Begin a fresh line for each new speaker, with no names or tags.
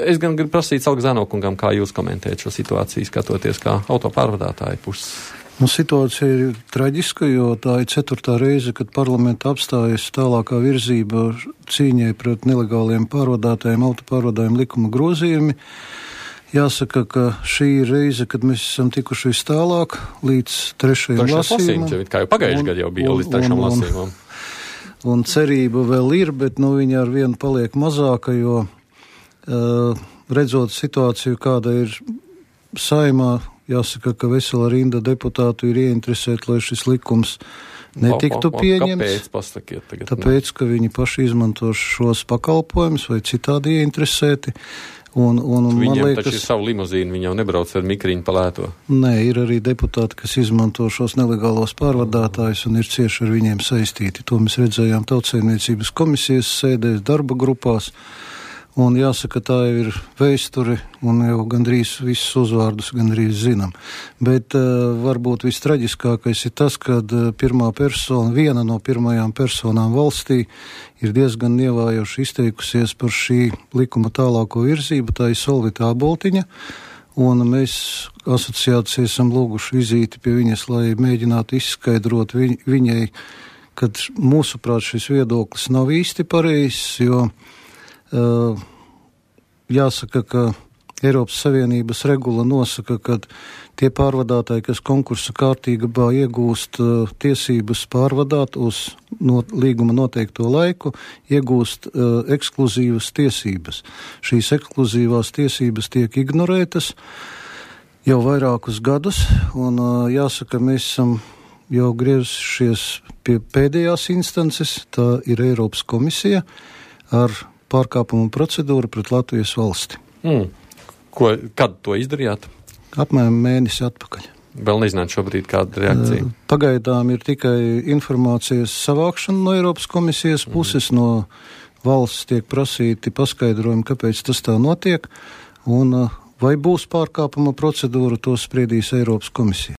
es gan gribu prasīt Salgzāno kungam, kā jūs komentējat šo situāciju, skatoties kā autopārvadātāju puses.
Situācija ir traģiska, jo tā ir 4. reize, kad parlamenta apstājas tālākā virzība cīņai pret nelegāliem pārvadātājiem, autopārvadājumu likuma grozījumi. Jāsaka, ka šī ir reize, kad mēs esam tikuši vis tālāk līdz 3. lasījumam.
Kā jau pagājuši gadu jau bija līdz 3. lasījumam.
Un cerība vēl ir, bet viņa ar vienu paliek mazāka, jo redzot situāciju, kāda ir Saeimā, jāsaka, ka vesela rinda deputātu ir ieinteresēti, lai šis likums netiktu pieņemts.
Kāpēc? Pasakiet tagad.
Tāpēc, ka viņi paši izmanto šos pakalpojumus vai citādi ieinteresēti. Viņiem
man liekas, taču ir savu limuzīnu, viņi jau nebrauc ar mikriņu pa lēto.
Nē, ir arī deputāti, kas izmanto šos nelegālos pārvadātājus un ir cieši ar viņiem saistīti. To mēs redzējām Tautsaimniecības komisijas sēdēs, darba grupās. Un jāsaka, tā ir vēsture, un jau gandrīz visus uzvārdus gandrīz zinām. Bet varbūt vistraģiskākais ir tas, kad viena no pirmajām personām valstī ir diezgan nievājoši izteikusies par šī likuma tālāko virzību, tā ir Solvita Āboltiņa, un mēs asociācijai esam lūguši vizīti pie viņas, lai mēģinātu izskaidrot viņai, kad mūsuprāt šis viedoklis nav īsti pareizs, jo jāsaka, ka Eiropas Savienības regula nosaka, ka tie pārvadātāji, kas konkursa kārtībā iegūst tiesības pārvadāt uz līguma noteikto laiku, iegūst ekskluzīvas tiesības. Šīs ekskluzīvās tiesības tiek ignorētas jau vairākus gadus, un jāsaka, mēs esam jau griezušies pie pēdējās instances, tā ir Eiropas komisija ar pārkāpumu procedūru pret Latvijas valsti.
Kad to izdarījāt?
Apmēram mēnesi atpakaļ.
Vēl nezināt šobrīd kāda reakcija?
Pagaidām ir tikai informācijas savākšana no Eiropas komisijas puses, no valsts tiek prasīti paskaidrojumi, kāpēc tas tā notiek, un vai būs pārkāpuma procedūra, to spriedīs Eiropas komisija.